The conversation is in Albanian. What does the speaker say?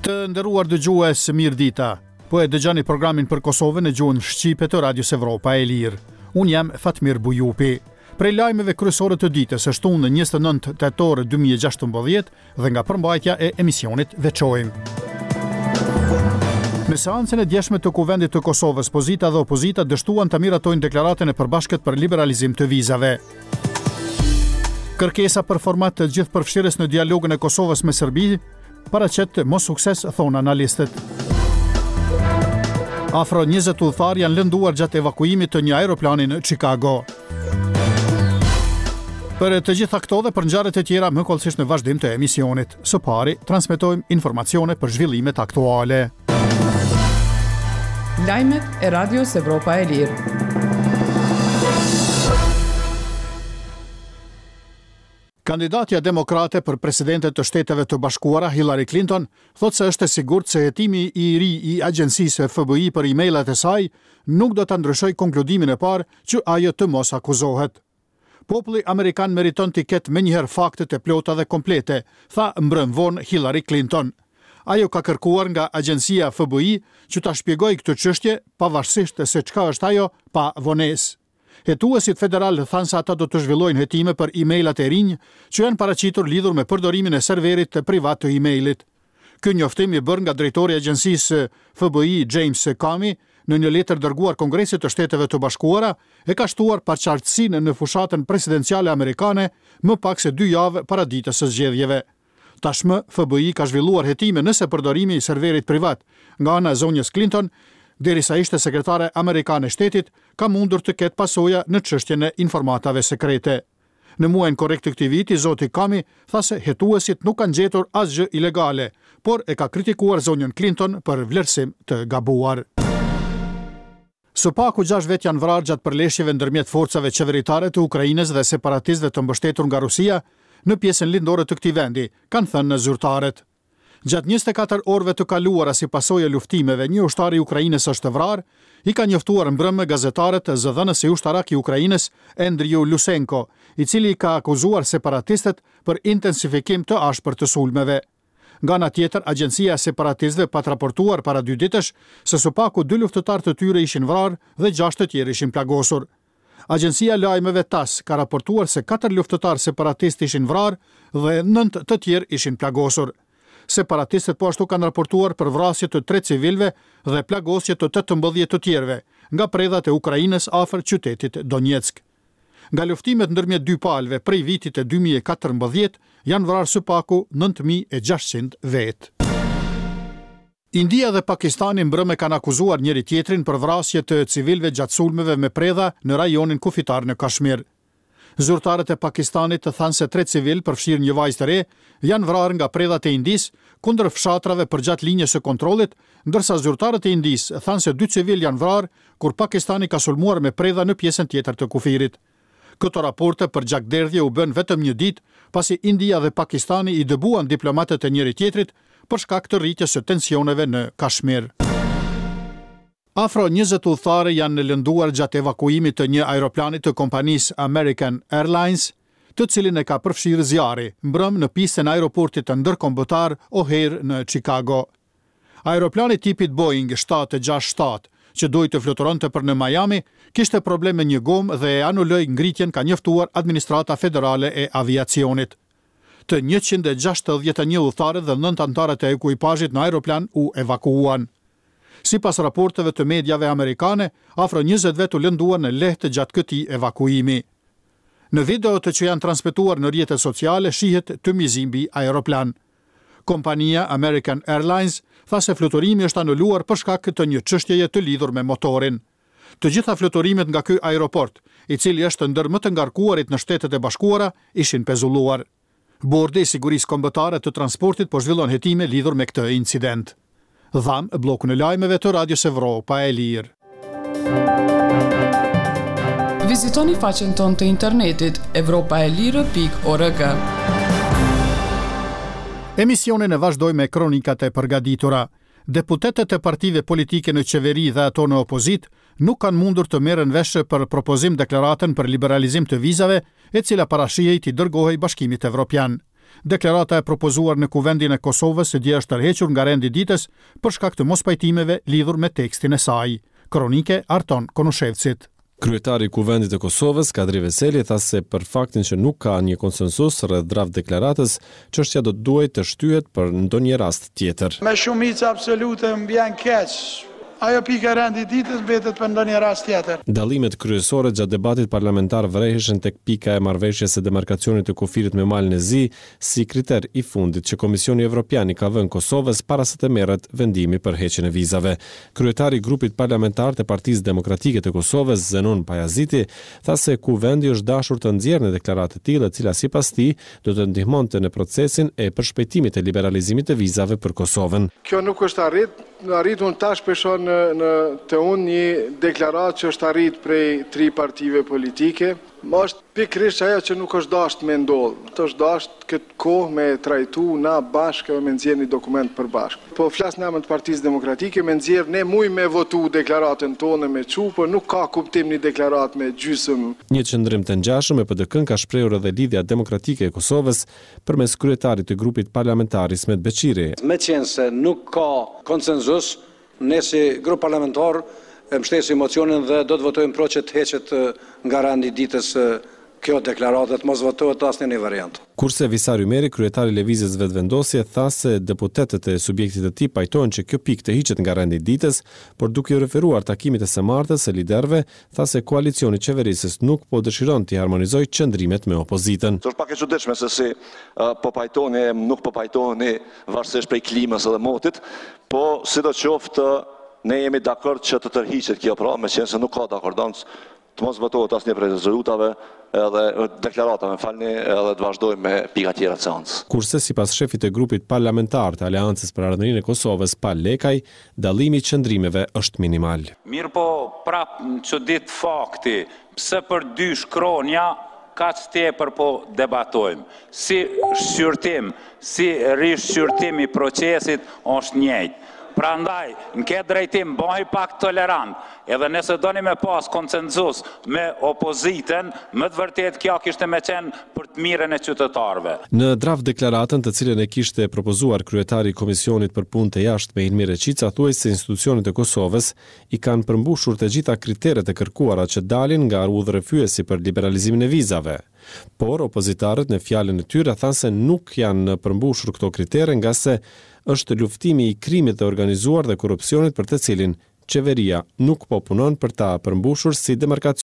Të nderuar dëgjues, mirëdita. Po e dëgjoni programin për Kosovën në gjuhën shqipe të Radios Evropa e Lirë. Unë jam Fatmir Bujupi. Prej lajmeve kryesore të ditës së shtunë 29 tetor 2016 dhe nga përmbajtja e emisionit veçojmë. Në seancën e djeshme të Kuvendit të Kosovës, pozita dhe opozita dështuan të miratojnë deklaratën e përbashkët për liberalizim të vizave. Kërkesa për format të gjithëpërfshirës në dialogun e Kosovës me Serbi paraqet mossukses, thonë analistët. Afro 20 udhëtarë janë lënduar gjatë evakuimit të një aeroplani në Chicago. Për të gjitha këto dhe për ngjarjet e tjera më hollësisht në vazhdim të emisionit. Së pari, transmetojmë informacione për zhvillimet aktuale. Lajmet e Radios Evropa e Lirë. Kandidatja demokrate për presidente të Shteteve të Bashkuara, Hillary Clinton, thotë se është e sigurt se hetimi i ri i agjencisë FBI për e-mailat e saj nuk do ta ndryshojë konkludimin e parë që ajo të mos akuzohet. Populli amerikan meriton t'i ketë menjëherë faktet e plota dhe komplete, tha mbrëmë vonë Hillary Clinton. Ajo ka kërkuar nga agjencia FBI që ta shpjegojë këtë çështje, pavarësisht se çka është ajo, pa vonesë. Hetuesit federalë thanë se ata do të zhvillojnë hetime për e-mailat e rinj që janë paraqitur lidhur me përdorimin e serverit privat të e-mailit. Ky njoftim i bërë nga drejtori i agjencisë FBI James Comey në një letër dërguar Kongresit të Shteteve të Bashkuara e ka shtuar paqartësinë në fushatën presidenciale amerikane më pak se dy javë para ditës së zgjedhjeve. Tashmë, FBI ka zhvilluar hetime nëse përdorimi i serverit privat nga ana e zonjës Clinton, derisa ishte sekretare amerikane e shtetit, ka mundur të ketë pasoja në çështjen e informatave sekrete. Në muajin korrik të këtij viti, zoti Comey tha se hetuesit nuk kanë gjetur asgjë ilegale, por e ka kritikuar zonjën Clinton për vlerësim të gabuar. Së paku gjashtë vetë janë vrarë gjatë përleshjeve ndërmjet forcave qeveritare të Ukrainës dhe separatistëve të mbështetur nga Rusia në pjesën lindore të këtij vendi, kanë thënë zyrtarët. Gjatë 24 orëve të kaluara si pasojë e luftimeve, një ushtar i Ukrainës është vrarë, i ka njoftuar mbrëmë gazetarët zëdhënësi ushtarak i Ukrainës, Andriy Lysenko, i cili i ka akuzuar separatistët për intensifikim të ashpër të sulmeve. Nga ana tjetër, agjencia e separatistëve pat raportuar para dy ditësh se së paku dy luftëtarë të tyre ishin vrarë dhe gjashtë të tjerë ishin plagosur. Agjencia e lajmeve TASS ka raportuar se katër luftëtarë separatistë ishin vrarë dhe nëntë të tjerë ishin plagosur. Separatistët po ashtu kanë raportuar për vrasje të tre civilëve dhe plagosje të 18 të tjerëve nga predhat e Ukrainës afër qytetit Donetsk. Nga luftimet ndërmjet dy palëve prej vitit 2014 janë vrarë së paku 9600 vetë. India dhe Pakistani mbrëmë kanë akuzuar njëri-tjetrin për vrasje të civilëve gjatë sulmeve me predha në rajonin kufitar në Kashmir. Zyrtarët e Pakistanit thanë se tre civilë, përfshirë një vajzë të re, janë vrarë nga predhat e Indisë kundër fshatrave përgjatë linjës së kontrollit, ndërsa zyrtarët e Indisë thanë se dy civilë janë vrarë kur Pakistani ka sulmuar me predha në pjesën tjetër të kufirit. Këto raporte për gjakderdhje u bënë vetëm një ditë pasi India dhe Pakistani i dëbuan diplomatët e njëri-tjetrit për shkak të rritjes së tensioneve në Kashmir. Afro 20 udhëtarë janë lënduar gjatë evakuimit të një aeroplani të kompanisë American Airlines, të cilin e ka përfshirë zjarri, mbrëmë në pistën e aeroportit ndërkombëtar O'Hare në Chicago. Aeroplani tipit Boeing 767, që duhej të fluturonte për në Miami, kishte problem me një gomë dhe e anuloi ngritjen, ka njoftuar Administrata Federale e Aviacionit. Të 161 udhëtarët dhe 9 anëtarët e ekuipazhit në aeroplan u evakuuan. Sipas raporteve të mediave amerikane, afro 20 vetë u lënduan lehtë gjatë këtij evakuimi. Në videot që janë transmetuar në rrjetet sociale shihet tym i zi mbi aeroplan. Kompania American Airlines tha se fluturimi është anuluar për shkak të një çështjeje të lidhur me motorin. Të gjitha fluturimet nga ky aeroport, i cili është ndër më të ngarkuarit në Shtetet e Bashkuara, ishin pezulluar. Bordi i Sigurisë Kombëtare të Transportit po zhvillon hetime lidhur me këtë incident. Dhamë bllokun e lajmeve të Radios Evropa e Lirë. Vizitoni faqen tonë të internetit evropaelire.org. Emisionin e vazhdoj me kronikat e përgatitura. Deputetët e partive politike në qeveri dhe ato në opozitë nuk kanë mundur të merren vesh për propozim deklaratën për liberalizim të vizave, e cila parashihej t'i dërgohej Bashkimit Evropian. Deklarata e propozuar në Kuvendin e Kosovës dje është tërhequr nga rendi i ditës për shkak të mospajtimeve lidhur me tekstin e saj. Kronikë e Arton Konushevcit. Kryetari i Kuvendit të Kosovës, Kadri Veseli, tha se për faktin që nuk ka një konsensus rreth draft deklaratës, çështja do të duhej të shtyhet për ndonjë rast tjetër. Me shumicë absolute më vjen keq. Ajo pikë e rendit ditës mbetet për ndonjë rast tjetër. Dallimet kryesore gjatë debatit parlamentar vëreheshin tek pika e marrëveshjes së demarkacionit të kufirit me Malin e Zi, si kriter i fundit që Komisioni Evropian i ka vënë Kosovës para se të merret vendimi për heqjen e vizave. Kryetari i grupit parlamentar të Partisë Demokratike të Kosovës, Zenun Pajaziti, tha se Kuvendi është dashur të nxjerrë një deklaratë të tillë e cila sipas tij do të ndihmonte në procesin e përshpejtimit të liberalizimit të vizave për Kosovën. Kjo nuk është arrit, arritun tash po e shoh në në te unë një deklaratë që është arrit prej tri partive politike. Është pikërisht ajo që nuk është dashtë me ndodhë. Është dashtë këtë kohë me e trajtu na bashkë edhe me nxjerrë një dokument të përbashkët. Po flas në emër të Partisë Demokratike, me nxjerrë ne mujmë me votu deklaratën tonë me çu, por nuk ka kuptim një deklaratë me gjysëm. Një qëndrim të ngjashëm me PDK-në ka shprehur edhe Lidhja Demokratike e Kosovës, përmes kryetarit të grupit parlamentar Ismet Beqiri. Meqenëse nuk ka konsenzus, Ne si grup parlamentar e mbështesim mocionin dhe do të votojmë pro që të heqet nga rendi i ditës kjo deklaratë dhe të mos votohet asnjë një variant. Kurse Visar Ymeri, kryetar i Lëvizjes Vetëvendosje, tha se deputetët e subjektit të tij pajtohen që kjo pikë të hiqet nga rendi i ditës, por duke iu referuar takimit të së martës së liderëve, tha se koalicioni qeverisës nuk po dëshiron t'i harmonizojë qëndrimet me opozitën. Është pak e çuditshme se si po pajtoheni e nuk po pajtoheni varësisht prej klimës edhe motit, po sidoqoftë ne jemi dakord që të tërhiqet kjo pra, meqenëse nuk ka dakordancë, të mos votohet asnjë prej rezolutave edhe deklaratave, më falni, edhe të vazhdojmë me pika tjera të seancës. Kurse, sipas shefit të grupit parlamentar të Aleancës për Ardhmërinë e Kosovës, Pal Lekaj, dallimi i qëndrimeve është minimal. Mirëpo prapë më çudit fakti pse për dy shkronja kaq tepër po debatojmë. Si shqyrtim, si rishqyrtim i procesit është njëjtë. Prandaj, në këtë drejtim bëhi pak tolerant, edhe nëse doni me pas konsensus me opozitën, me të vërtetë kjo kishte me qenë për të mirën e qytetarëve. Në draft-deklaratën të cilën e kishte propozuar kryetari i Komisionit për Punë të Jashtme Ilmi Reçica thuhej se institucionet e Kosovës i kanë përmbushur të gjitha kriteret e kërkuara që dalin nga udhërrëfyesi për liberalizimin e vizave. Por, opozitarët në fjalën e tyre thanë se nuk janë përmbushur këto kritere ngase është luftimi i krimit të organizuar dhe korrupsionit për të cilin qeveria nuk po punon për ta përmbushur si demarkacion.